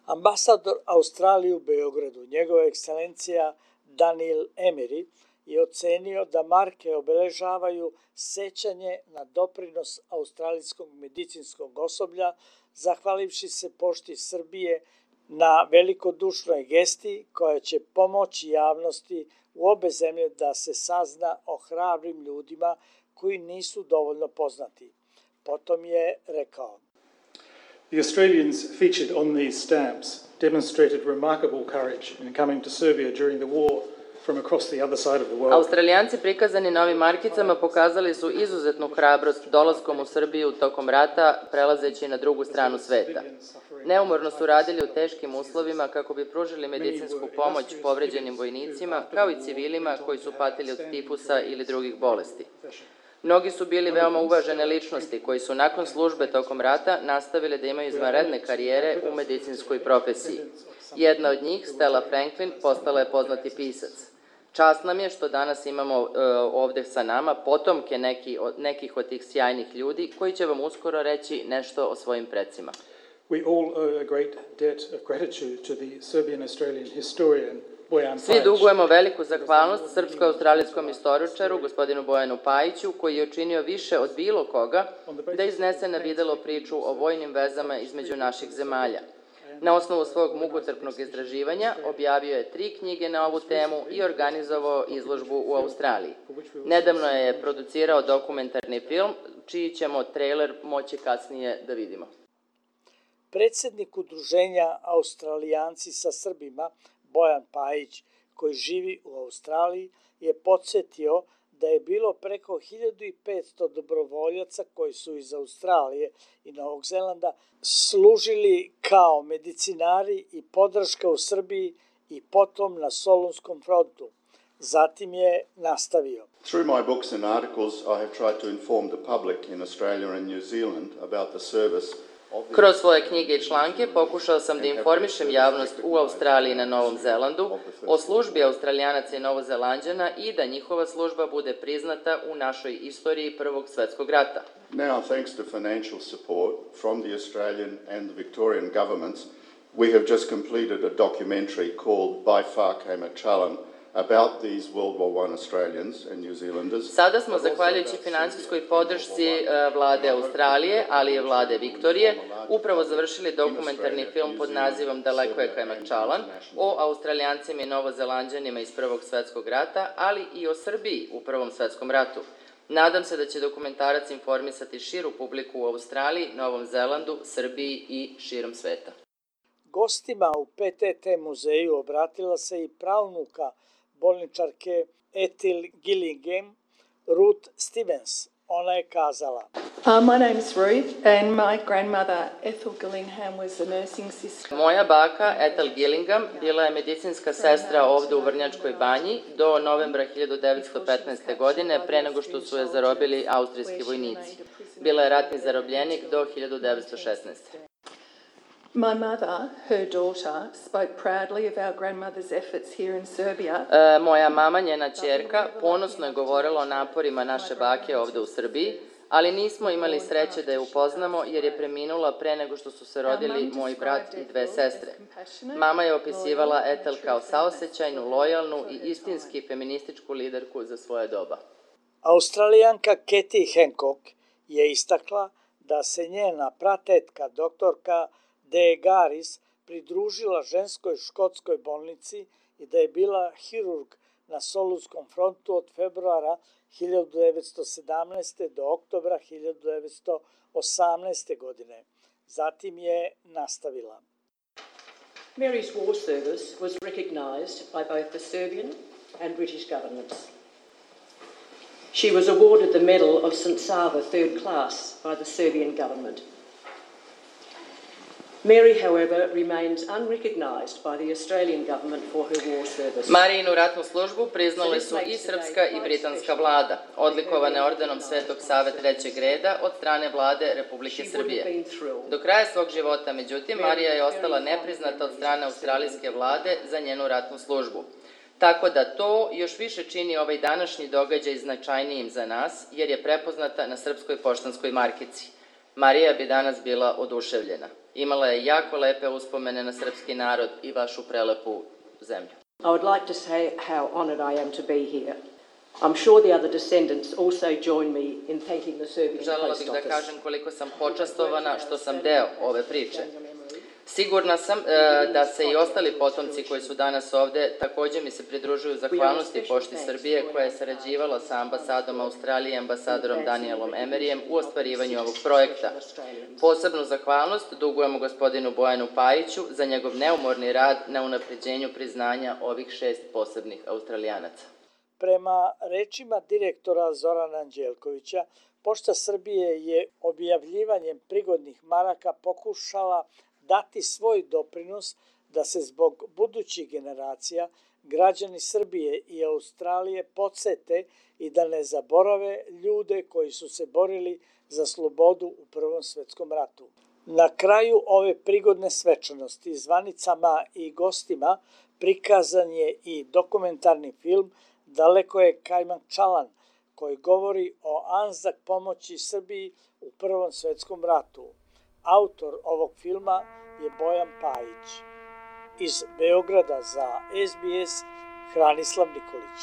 Ambasador Australije u Beogradu, njegova ekscelencija Daniel Emery, je ocenio da marke obeležavaju sećanje na doprinos australijskog medicinskog osoblja, zahvalivši se pošti Srbije na velikodušnoj gesti koja će pomoći javnosti u obe zemlje da se sazna o hrabrim ljudima koji nisu dovoljno poznati. Potom je rekao: The Australians featured on these stamps demonstrated remarkable courage in coming to Serbia during the war from across the other side of the world. Australijanci prikazani na ovim markicama pokazali su izuzetnu hrabrost dolaskom u Srbiju tokom rata, prelazeći na drugu stranu sveta. Neumorno su radili u teškim uslovima kako bi pružili medicinsku pomoć povređenim vojnicima, kao i civilima koji su patili od tifusa ili drugih bolesti. Mnogi su bili veoma uvažene ličnosti koji su nakon službe tokom rata nastavili da imaju izvanredne karijere u medicinskoj profesiji. Jedna od njih, Stella Franklin, postala je poznati pisac. Čast nam je što danas imamo uh, ovde sa nama potomke neki, od, nekih od tih sjajnih ljudi koji će vam uskoro reći nešto o svojim precima. We all owe a great debt of gratitude to the Serbian-Australian historian Bojan Svi dugujemo veliku zahvalnost srpsko-australijskom istoričaru, gospodinu Bojanu Pajiću, koji je učinio više od bilo koga da iznese na videlo priču o vojnim vezama između naših zemalja. Na osnovu svog mukotrpnog istraživanja objavio je tri knjige na ovu temu i organizovao izložbu u Australiji. Nedavno je producirao dokumentarni film, čiji ćemo trailer moći kasnije da vidimo. Predsjednik udruženja Australijanci sa Srbima, Bojan Pajić, koji živi u Australiji, je podsjetio da je bilo preko hiljadu petsto dobrovoljaca koji su iz Australije i Novog Zelanda služili kao medicinari i podrška u Srbiji i potom na Solunskom frontu. Zatim je nastavio: Through my books and articles, I have tried to inform the public in Australia and New Zealand about the service. Kroz svoje knjige i članke pokušao sam da informišem javnost u Australiji i na Novom Zelandu o službi Australijanaca i Novozelanđana i da njihova služba bude priznata u našoj istoriji Prvog svjetskog rata. Now, thanks to financial support from the Australian and the Victorian governments, we have just completed a documentary called By Far Came a Challen about these World War One Australians and New Zealanders. Sada smo, zahvaljujući finansijskoj podršci vlade Australije, ali i vlade Viktorije, upravo završili dokumentarni film pod nazivom Daleko je Kajmakčalan o Australijancima i Novozelanđanima iz Prvog svjetskog rata, ali i o Srbiji u Prvom svjetskom ratu. Nadam se da će dokumentarac informisati širu publiku u Australiji, Novom Zelandu, Srbiji i širom sveta. Gostima u P T T muzeju obratila se i pravnuka bolničarke Ethel Gillingham, Ruth Stevens. Ona je kazala: Uh, my name's Ruth and my grandmother Ethel Gillingham was a nursing sister. Moja baka Ethel Gillingham bila je medicinska sestra ovde u Vrnjačkoj banji do novembra hiljadu devetsto petnaeste. godine, pre nego što su je zarobili austrijski vojnici. Bila je ratni zarobljenik do hiljadu devetsto šesnaeste. My mother, her daughter, spoke proudly of our grandmother's efforts here in Serbia. E, moja mama, njena ćerka, ponosno je govorila o naporima naše bake ovde u Srbiji, ali nismo imali sreće da je upoznamo jer je preminula pre nego što su se rodili moj brat i dve sestre. Mama je opisivala Ethel kao saosećajnu, lojalnu i istinski feminističku liderku za svoje doba. Australijanka Katie Hancock je istakla da se njena pratetka doktorka De Garis pridružila ženskoj škotskoj bolnici i da je bila hirurg na Solunskom frontu od februara hiljadu devetsto sedamnaeste. do oktobra hiljadu devetsto osamnaeste. godine. Zatim je nastavila. Mary's war service was recognised by both the Serbian and British governments. She was awarded the Medal of Saint Sava third class by the Serbian government. Mary, however, remains unrecognised by the Australian government for her war service. Marijinu ratnu službu priznale su i srpska i britanska vlada, odlikovane ordenom Svetog Save trećeg reda od strane vlade Republike Srbije. Do kraja svog života, međutim, Marija je ostala nepriznata od strane australijske vlade za njenu ratnu službu. Tako da to još više čini ovaj današnji događaj značajnijim za nas, jer je prepoznata na srpskoj poštanskoj markici. Marija bi danas bila oduševljena. Imala je jako lepe uspomene na srpski narod i vašu prelepu zemlju. I would like to say how honoured I am to be here. I'm sure the other descendants also join me in thanking the Serbian Post Office. Želela bih da kažem koliko sam počastovana što sam deo ove priče. Sigurna sam e, da se i ostali potomci koji su danas ovde također mi se pridružuju zahvalnosti Pošti Srbije koja je sarađivala sa ambasadom Australije i ambasadorom Danielom Emerijem u ostvarivanju ovog projekta. Posebnu zahvalnost dugujemo gospodinu Bojanu Pajiću za njegov neumorni rad na unapređenju priznanja ovih šest posebnih Australijanaca. Prema rečima direktora Zorana Anđelkovića, Pošta Srbije je objavljivanjem prigodnih maraka pokušala dati svoj doprinos da se zbog budućih generacija građani Srbije i Australije podsete i da ne zaborave ljude koji su se borili za slobodu u Prvom svetskom ratu. Na kraju ove prigodne svečanosti zvanicama i gostima prikazan je i dokumentarni film Daleko je Kajmak Čalan, koji govori o Anzak pomoći Srbiji u Prvom svetskom ratu. Autor ovog filma je Bojan Pajić. Iz Beograda za S B S Hranislav Nikolić.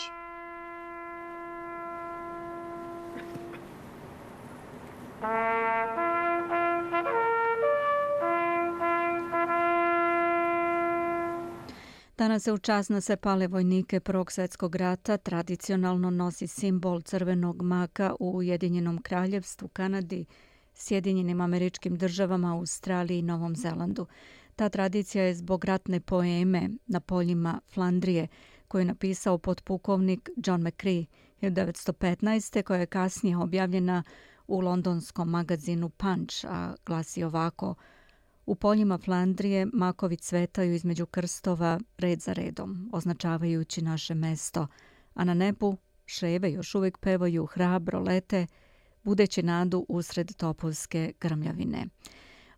Danas se u čast na sve pale vojnike Prvog svjetskog rata tradicionalno nosi simbol crvenog maka u Ujedinjenom kraljevstvu, Kanadi, Sjedinjenim Američkim Državama, Australiji i Novom Zelandu. Ta tradicija je zbog ratne poeme Na poljima Flandrije, koju je napisao potpukovnik John McCrea hiljadu devetsto petnaeste. koja je kasnije objavljena u londonskom magazinu Punch, a glasi ovako: U poljima Flandrije makovi cvetaju između krstova red za redom, označavajući naše mesto, a na nebu ševe još uvijek pevaju hrabro lete, budeći nadu usred topovske grmljavine.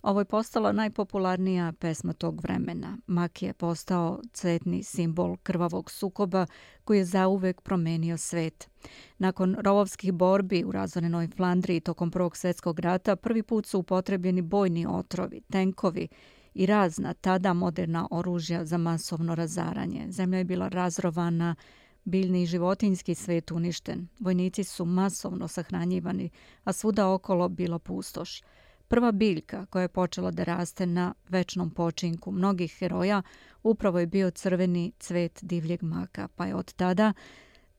Ovo je postala najpopularnija pesma tog vremena. Mak je postao cvetni simbol krvavog sukoba koji je zauvek promenio svet. Nakon rovovskih borbi u razorenoj Flandriji tokom Prvog svjetskog rata prvi put su upotrebljeni bojni otrovi, tenkovi i razna tada moderna oružja za masovno razaranje. Zemlja je bila razrovana, biljni i životinjski svet uništen. Vojnici su masovno sahranjivani, a svuda okolo bilo pustoš. Prva biljka koja je počela da raste na večnom počinku mnogih heroja upravo je bio crveni cvet divljeg maka, pa je od tada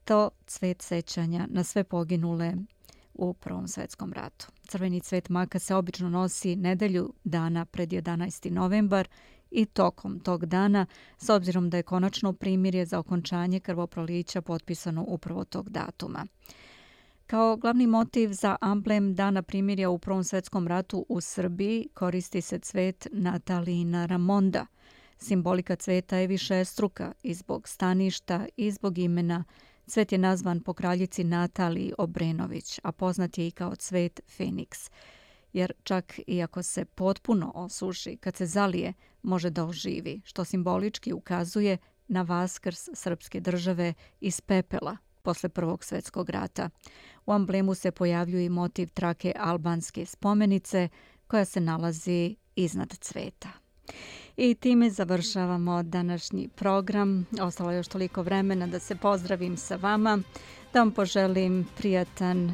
to cvet sećanja na sve poginule u Prvom svjetskom ratu. Crveni cvet maka se obično nosi nedelju dana pred jedanaesti novembar i tokom tog dana, s obzirom da je konačno primirje za okončanje krvoprolića potpisano upravo tog datuma. Kao glavni motiv za amblem Dana primirja u Prvom svjetskom ratu u Srbiji koristi se cvet Natalijina Ramonda. Simbolika cveta je višestruka i zbog staništa i zbog imena. Cvet je nazvan po kraljici Nataliji Obrenović, a poznat je i kao cvet Feniks, jer čak i ako se potpuno osuši, kad se zalije, može da oživi, što simbolički ukazuje na vaskrs srpske države iz pepela posle Prvog svjetskog rata. U amblemu se pojavljuje i motiv trake albanske spomenice koja se nalazi iznad cveta. I time završavamo današnji program. Ostalo je još toliko vremena da se pozdravim sa vama, da vam poželim prijatan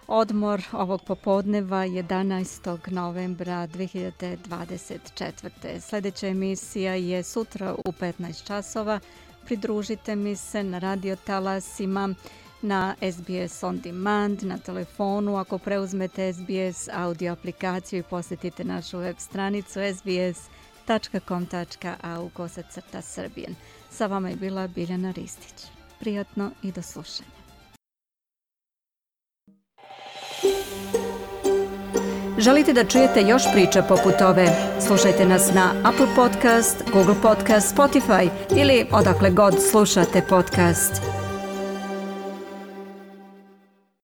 odmor ovog popodneva jedanaestog novembra dve hiljade dvadeset četvrte. Sljedeća emisija je sutra u petnaest časova. Pridružite mi se na radio talasima, na S B S On Demand, na telefonu, ako preuzmete S B S audio aplikaciju i posjetite našu web stranicu s b s tačka com tačka a u kosacrta Srbijen. Sa vama je bila Biljana Ristić. Prijatno i do slušanja. Želite da čujete još priča poput ove? Slušajte nas na Apple Podcast, Google Podcast, Spotify ili odakle god slušate podcast.